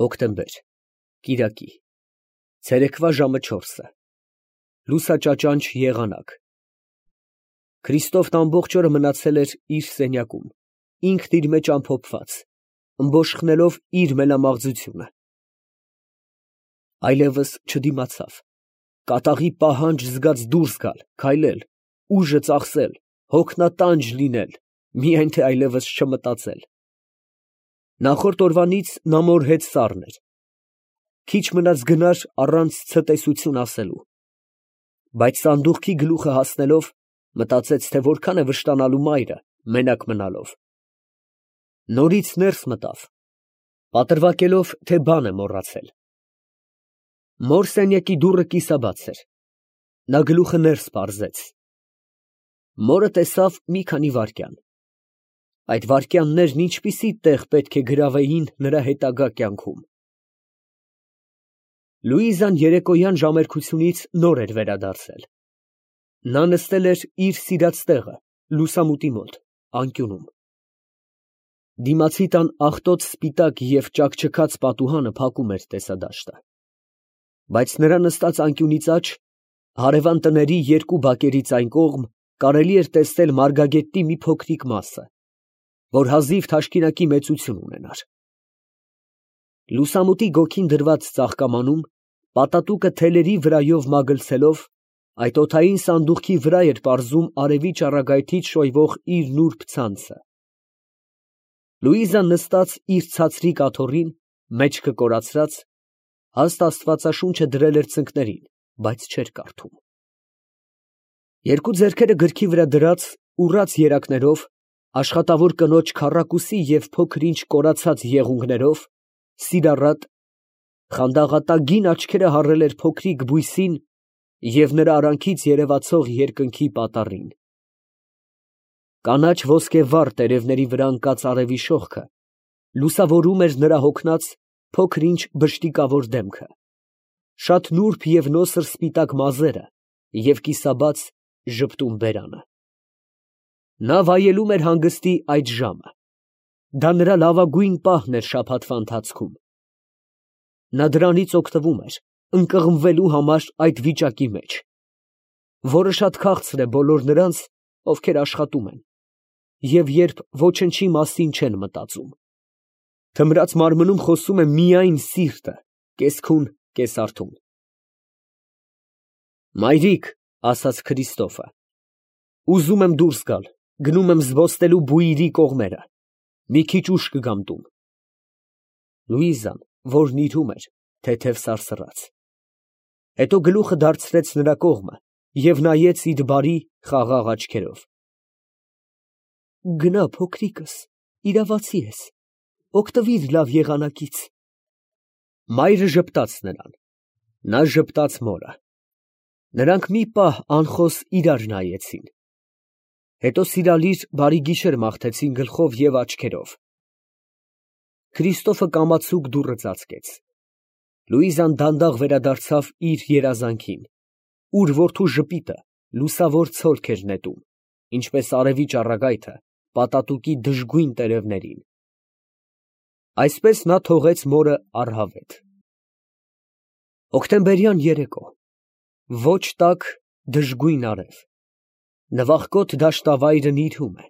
Հոկտեմբեր, կիրակի, ցերեկվա ժամը 4-ը, լուսաճաճանչ եղանակ։ Քրիստոֆն ամբողջ օրը մնացել էր իր սենյակում, ինքն իր մեջ ամփոփված, ըմբոշխնելով իր մենամաղձությունը։ Այլևս չդիմացավ, կատաղի պահանջ զգաց դուրս գալ, քայլել, ուժը ծախսել, հոգնատանջ լինել, միայն թե այլևս չմտածել։ Նախորդ օրվանից նա մորհեց սառն էր, քիչ մնաց գնար առանց ցտեսություն ասելու, բայց սանդուղքի գլուխը հասնելով, մտածեց, թե որքան է վշտանալու մայրը, մենակ մնալով։ Նորից ներս մտավ, պատրվակելով, թե բան է մոռացել։ Մոր սենյակի դուռը կիսաբաց էր, նա գլուխը ներս պարզեց։ Մորը տեսավ մի քանի վայրկյան։ Այդ վայրկյաններն ինչպիսի տեղ պետք է գրավեին նրա հետագա կյանքում։ Լուիզան երեկոյան ժամերկությունից նոր էր վերադարձել։ Նա նստել էր իր սիրած տեղը, լուսամուտի մոտ, անկյունում։ Դիմացի տան աղտոտ սպիտակ և ճաքճքած պատուհանը փակում էր տեսադաշտը, բայց նրա նստած անկյունից աջ, հարևան տների երկու բակերից այն կողմ, կարելի էր տեսնել մարգագետի մի փոքրիկ մասը, որ հազիվ թաշկինակի մեծություն ունենար։ Լուսամուտի գոգին դրված ծաղկամանում, պատատուկը թելերի վրայով մագլցելով, այդ օդային սանդուղքի վրա էր պարզում արևի ճառագայթից շոյվող իր նուրբ ցանցը։ Լուիզան նստած իր ցածրիկ աթոռին, մեջքը կորացրած, հաստ աստվածաշունչը դրել էր ծնկներին, բայց չէր կարդում։ Երկու ձեռքերը գրքի վրա դրած, ուռած երակներով, աշխատավոր կնոջ քառակուսի և փոքր-ինչ կորացած եղունգներով, սիրառատ, խանդաղատագին աչքերը հառել էր փոքրիկ բույսին և նրա արանքից երևացող երկնքի պատառին։ Կանաչ ոսկեվառ տերևների վրա ընկած արևի շողքը լուսավորում էր նրա հոգնած, փոքր-ինչ բժտիկավոր դեմքը, շատ նուրբ և նոսր սպիտակ մազերը և կիսաբաց ժպտուն բերանը։ Նա վայելում էր հանգստի այդ ժամը, դա նրա լավագույն պահն էր շաբաթվա ընթացքում։ Նա դրանից օգտվում էր, ընկղմվելու համար այդ վիճակի մեջ, որը շատ քաղցր է բոլոր նրանց, ովքեր աշխատում են, և երբ ոչնչի մասին չեն մտածում։ Թմրած մարմնում խոսում է միայն սիրտը, կես֊քուն, կես֊արթուն։ «Մայրիկ», ֊ ասաց Քրիստոֆը, ֊ ուզում եմ դուրս գալ, գնում եմ զբոսնելու բույրի կողմերը, մի քիչ ուշ կգամ տուն։ Լուիզան, որն իրում էր, թեթև սարսռաց, հետո գլուխը դարձրեց նրա կողմը և նայեց իր բարի, խաղաղ աչքերով։ Գնա, փոքրիկս, իրավացի ես, օգտվիր լավ եղանակից։ Մայրը ժպտաց նրան, նա ժպտաց մորը։ Նրանք մի պահ անխոս իրար նայեցին, հետո սիրալիր բարի գիշեր մաղթեցին գլխով և աչքերով։ Քրիստոֆը կամացուկ դուռը ծածկեց։ Լուիզան դանդաղ վերադարձավ իր երազանքին, ուր որդու ժպիտը լուսավոր ցոլք էր նետում, ինչպես արևի ճառագայթը պատատուկի դժգույն տերևներին։ Այսպես նա թողեց մորը առհավետ։ Հոկտեմբերյան երեկո, ոչ տաք, դժգույն արև, նվախկոտ դաշտավայրը նիրհում է,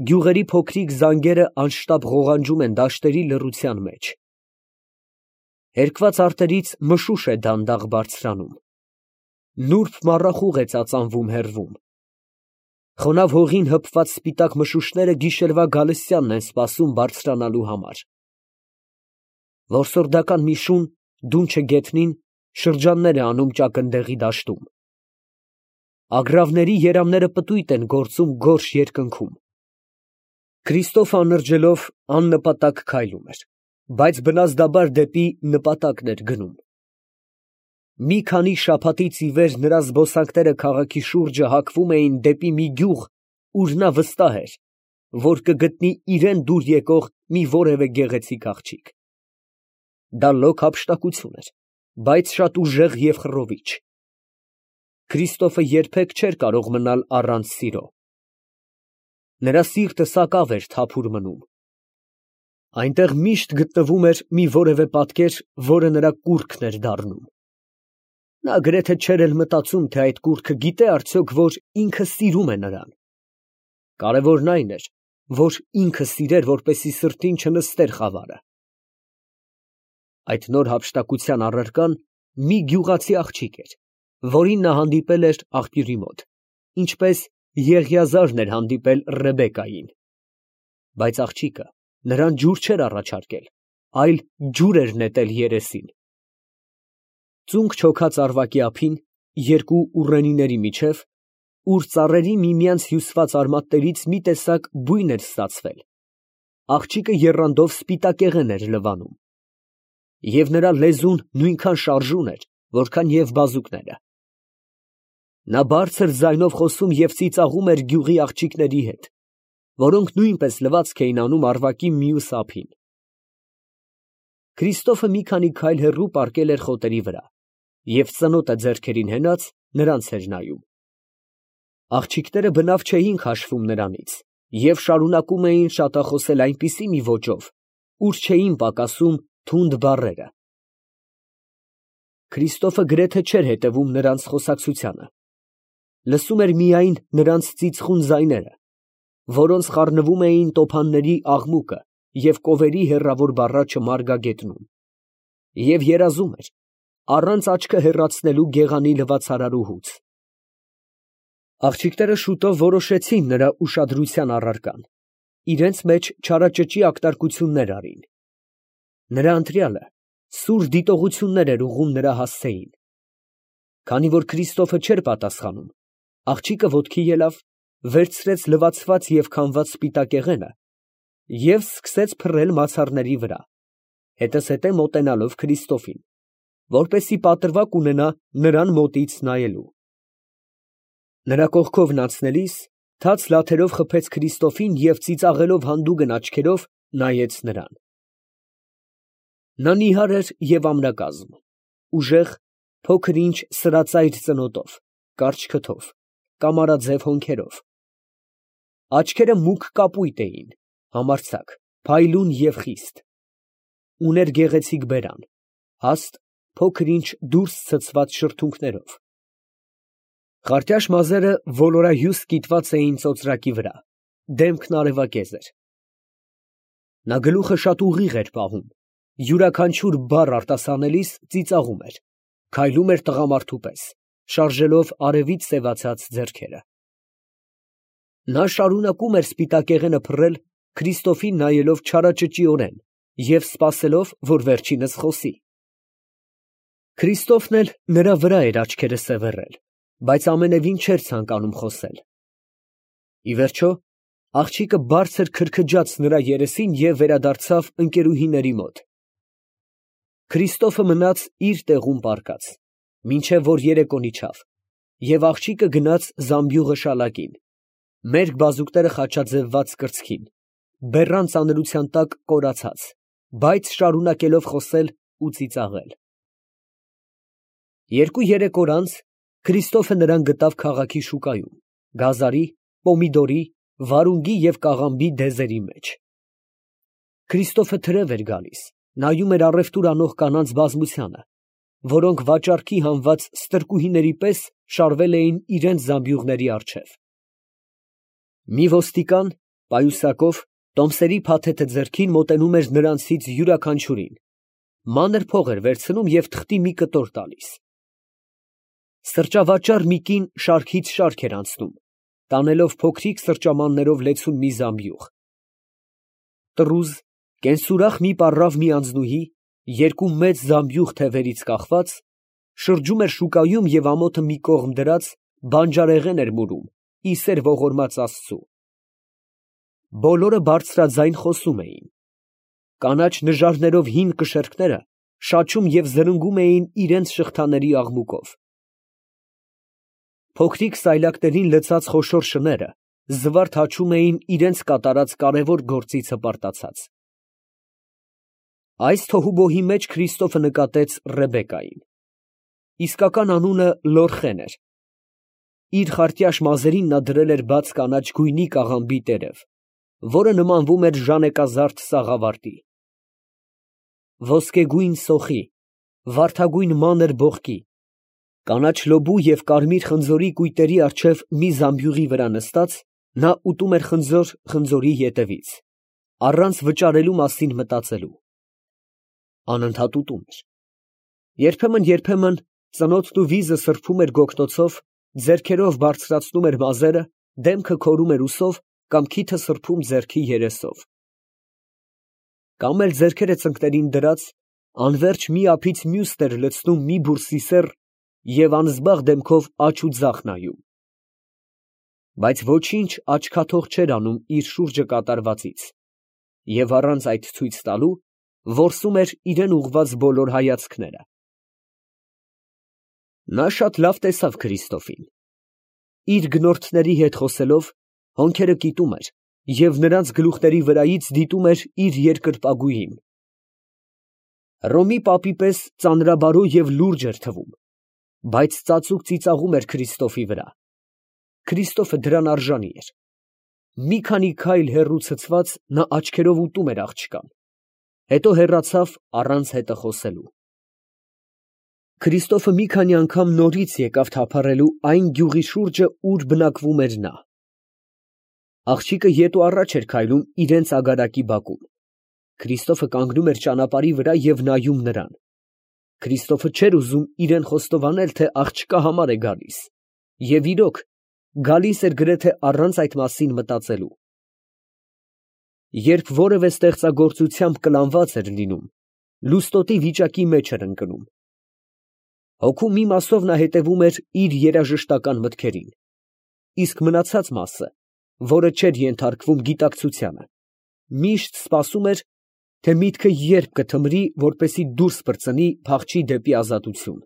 գյուղերի փոքրիկ զանգերը անշտապ ղողանջում են դաշտերի լռության մեջ, հերկված արտերից մշուշ է դանդաղ բարձրանում, նուրբ մառախուղ է ծածանվում հեռվում, խոնավ հողին հպված սպիտակ մշուշները գիշերվա գալստյանն են սպասում բարձրանալու համար։ Որսորդական մի շուն, դունչը գետնին, շրջաններ է անում ճակնդեղի դաշտում։ Ագռավների երամները պտույտ են գործում գորշ երկնքում։ Քրիստոֆը անրջելով աննպատակ քայլում էր, բայց բնազդաբար դեպի նպատակն էր գնում։ Մի քանի շաբաթից ի վեր նրա զբոսանքները քաղաքի շուրջը հակվում էին դեպի մի գյուղ, ուր նա վստահ էր, որ կգտնի իրան դուր եկող մի որևէ գեղեցիկ աղջիկ։ Դա լոկ հափշտակություն էր, բայց շատ ուժեղ և խռովիչ։ Քրիստոֆը երբեք չէր կարող մնալ առանց սիրո։ Նրա սիրտը սակավ էր թափուր մնում։ Այնտեղ միշտ գտնվում էր մի որևէ պատկեր, որը նրա կուռքն էր դառնում։ Նա գրեթե չէր էլ մտածում, թե այդ կուռքը գիտե արդյոք, որ ինքը սիրում է նրան։ Կարևորն այն էր, որ ինքը սիրեր, որպեսզի սրտին չնստեր խավարը։ Այդ նոր հափշտակության առարկան մի գյուղացի աղջիկ էր, որին նա հանդիպել էր աղբյուրի մոտ, ինչպես Եղիազարն էր հանդիպել Ռեբեկային։ Բայց աղջիկը նրան ջուր չէր առաջարկել, այլ ջուր էր նետել երեսին։ Ծունկ չոքած արվակի ափին, երկու ուռենիների միջև, ուր ծառերի միմյանց հյուսված արմատներից մի տեսակ բույն էր ստացվել, աղջիկը եռանդով սպիտակեղեն էր լվանում, և նրա լեզուն նույնքան շարժուն էր, որքան և բազուկները։ Նա բարձր ձայնով խոսում և ծիծաղում էր գյուղի աղջիկների հետ, որոնք նույնպես լվացք էին անում արվակի մյուս ափին։ Քրիստոֆը մի քանի քայլ հեռու պառկել էր խոտերի վրա և ծնոտը ձեռքերին հենած նրանց էր նայում։ Աղջիկները բնավ չէին քաշվում նրանից և շարունակում էին շատախոսել այնպիսի մի ոճով, ուր չէին պակասում թունդ բառերը։ Քրիստոֆը գրեթե չէր հետևում նրանց խոսակցությանը, լսում էր միայն նրանց ծիծխուն ձայները, որոնց խառնվում էին տոփանների աղմուկը և կովերի հեռավոր բառաչը մարգագետնում, և երազում էր, առանց աչքը հեռացնելու գեղանի լվացարարուհուց։ Աղջիկները շուտով որոշեցին նրա ուշադրության առարկան, իրենց մեջ չարաճճի ակտարկություններ արին։ Նրա ընտրյալը սուր դիտողություններ էր ուղղում նրա հասցեին։ Քանի որ Քրիստոֆը չէր պատասխանում, աղջիկը ոտքի ելավ, վերցրեց լվացված և քամված սպիտակեղենը և սկսեց փռել մացառների վրա, հետզհետե մոտենալով Քրիստոֆին, որպեսզի պատրվակ ունենա նրան մոտից նայելու։ Նրա կողքովն անցնելիս թաց լաթերով խփեց Քրիստոֆին և ծիծաղելով հանդուգն աչքերով նայեց նրան։ Նա նիհար էր և ամրակազմ, ուժեղ, փոքր ինչ սրածայր ծնոտով, կարճ քթով, կամարաձև հոնքերով։ Աչքերը մուգ կապույտ էին, համարձակ, փայլուն և խիստ։ Ուներ գեղեցիկ բերան, հաստ, փոքր ինչ դուրս ցցված շրթունքներով։ Խարտյաշ մազերը ոլորահյուստ կիտված էին ծոծրակի վրա, դեմքն արևակեզ էր։ Նա գլուխը շատ ուղիղ էր պահում, յուրաքանչյուր բառ արտասանելիս ծիծաղում էր, քայլում էր տղամարդու պես, շարժելով արևից սևացած ձեռքերը։ Նա շարունակում էր սպիտակեղենը փռել, Քրիստոֆին նայելով չարաճճիորեն և սպասելով, որ վերջինս խոսի։ Քրիստոֆն էլ նրա վրա էր աչքերը սևեռել, բայց ամենևին չէր ցանկանում խոսել։ Ի վերջո, աղջիկը բարձր քրքջաց նրա երեսին և վերադարձավ ընկերուհիների մոտ։ Քրիստոֆը մնաց իր տեղում պառկած, մինչև որ երեկոն իջավ, և աղջիկը գնաց զամբյուղը շալակին, մերկ բազուկները խաչաձևված կրծքին, բեռան ծանրության տակ կորացած, բայց շարունակելով խոսել ու ծիծաղել։ Երկու֊երեք օր անց Քրիստոֆը նրան գտավ քաղաքի շուկայում, գազարի, պոմիդորի, վարունգի և կաղամբի դեզերի մեջ։ Քրիստոֆը թրև էր գալիս, նայում էր առևտուր անող կանանց բազմությանը, որոնք վաճառքի հանված ստրկուհիների պես շարվել էին իրենց զամբյուղների առջև։ Մի ոստիկան, պայուսակով, տոմսերի փաթեթը ձեռքին մոտենում էր նրանցից յուրաքանչյուրին, մանր փող էր վերցնում և թղթի մի կտոր տալիս։ Սրճավաճառ մի կին շարքից շարք էր անցնում, տանելով փոքրիկ սրճամաններով լեցուն մի զամբյուղ։ Տռուզ, կենսուրախ մի պառավ մի անձնուհի, երկու մեծ զամբյուղ թևերից կախված, շրջում էր շուկայում և ամոթը մի կողմ դրած, բանջարեղեն էր մուրում, ի սեր ողորմած Աստծու։ Բոլորը բարձրաձայն խոսում էին։ Կանաչ նժարներով հին կշեռքները շաչում և զրնգում էին իրենց շղթաների աղմուկով։ Փոքրիկ սայլակներին լցած խոշոր շները զվարթ հաչում էին իրենց կատարած կարևոր գործից հպարտացած։ Այս թոհուբոհի մեջ Քրիստոֆը նկատեց Ռեբեկային։ Իսկական անունը Լորխեն էր։ Իր խարտյաշ մազերին նա դրել էր բաց կանաչ գույնի կաղամբի տերև, որը նմանվում էր ժանեկազարդ սաղավարտի։ Ոսկեգույն սոխի, վարդագույն մանր բողկի, կանաչ լոբու և կարմիր խնձորի կույտերի առջև մի զամբյուղի վրա նստած, նա ուտում էր խնձոր խնձորի ետևից, առանց վճարելու մասին մտածելու։ Անընդհատ ուտում էր։ Երբեմն ծնոտն ու վիզը սրբում էր գոգնոցով, ձեռքերով բարձրացնում էր մազերը, դեմքը քորում էր ուսով կամ քիթը սրբում ձեռքի երեսով։ Կամ էլ ձեռքերը ծնկներին դրած, անվերջ մի ափից մյուսն էր լցնում մի բուռ սիսեռ և անզբաղ դեմքով աջ ու ձախ նայում։ Բայց ոչինչ աչքաթող չէր անում իր շուրջը կատարվածից և առանց այդ ցույց տալու, որսում էր իրան ուղղված բոլոր հայացքները։ Նա շատ լավ տեսավ Քրիստոֆին։ Իր գնորդների հետ խոսելով, հոնքերը կիտում էր և նրանց գլուխների վրայից դիտում էր իր երկրպագուին։ Հռոմի պապի պես ծանրաբարո և լուրջ էր թվում, բայց ծածուկ ծիծաղում էր Քրիստոֆի վրա։ Քրիստոֆը դրան արժանի էր։ Մի քանի քայլ հեռու ցցված, նա աչքերով ուտում էր աղջկան, հետո հեռացավ առանց հետը խոսելու։ Քրիստոֆը մի քանի անգամ նորից եկավ թափառելու այն գյուղի շուրջը, ուր բնակվում էր նա։ Աղջիկը ետ ու առաջ էր քայլում իրենց ագարակի բակում։ Քրիստոֆը կանգնում էր ճանապարհի վրա և նայում նրան։ Քրիստոֆը չէր ուզում իրան խոստովանել, թե աղջկա համար է գալիս, և իրոք, գալիս էր գրեթե առանց այդ մասին մտածելու։ Երբ որևէ ստեղծագործությամբ կլանված էր լինում, լուստոտի վիճակի մեջ էր ընկնում։ Հոգու մի մասով նա հետևում էր իր երաժշտական մտքերին, իսկ մնացած մասը, որը չէր ենթարկվում գիտակցությանը, միշտ սպասում էր, թե միտքը երբ կթմրի, որպեսզի դուրս պրծնի, փախչի դեպի ազատություն։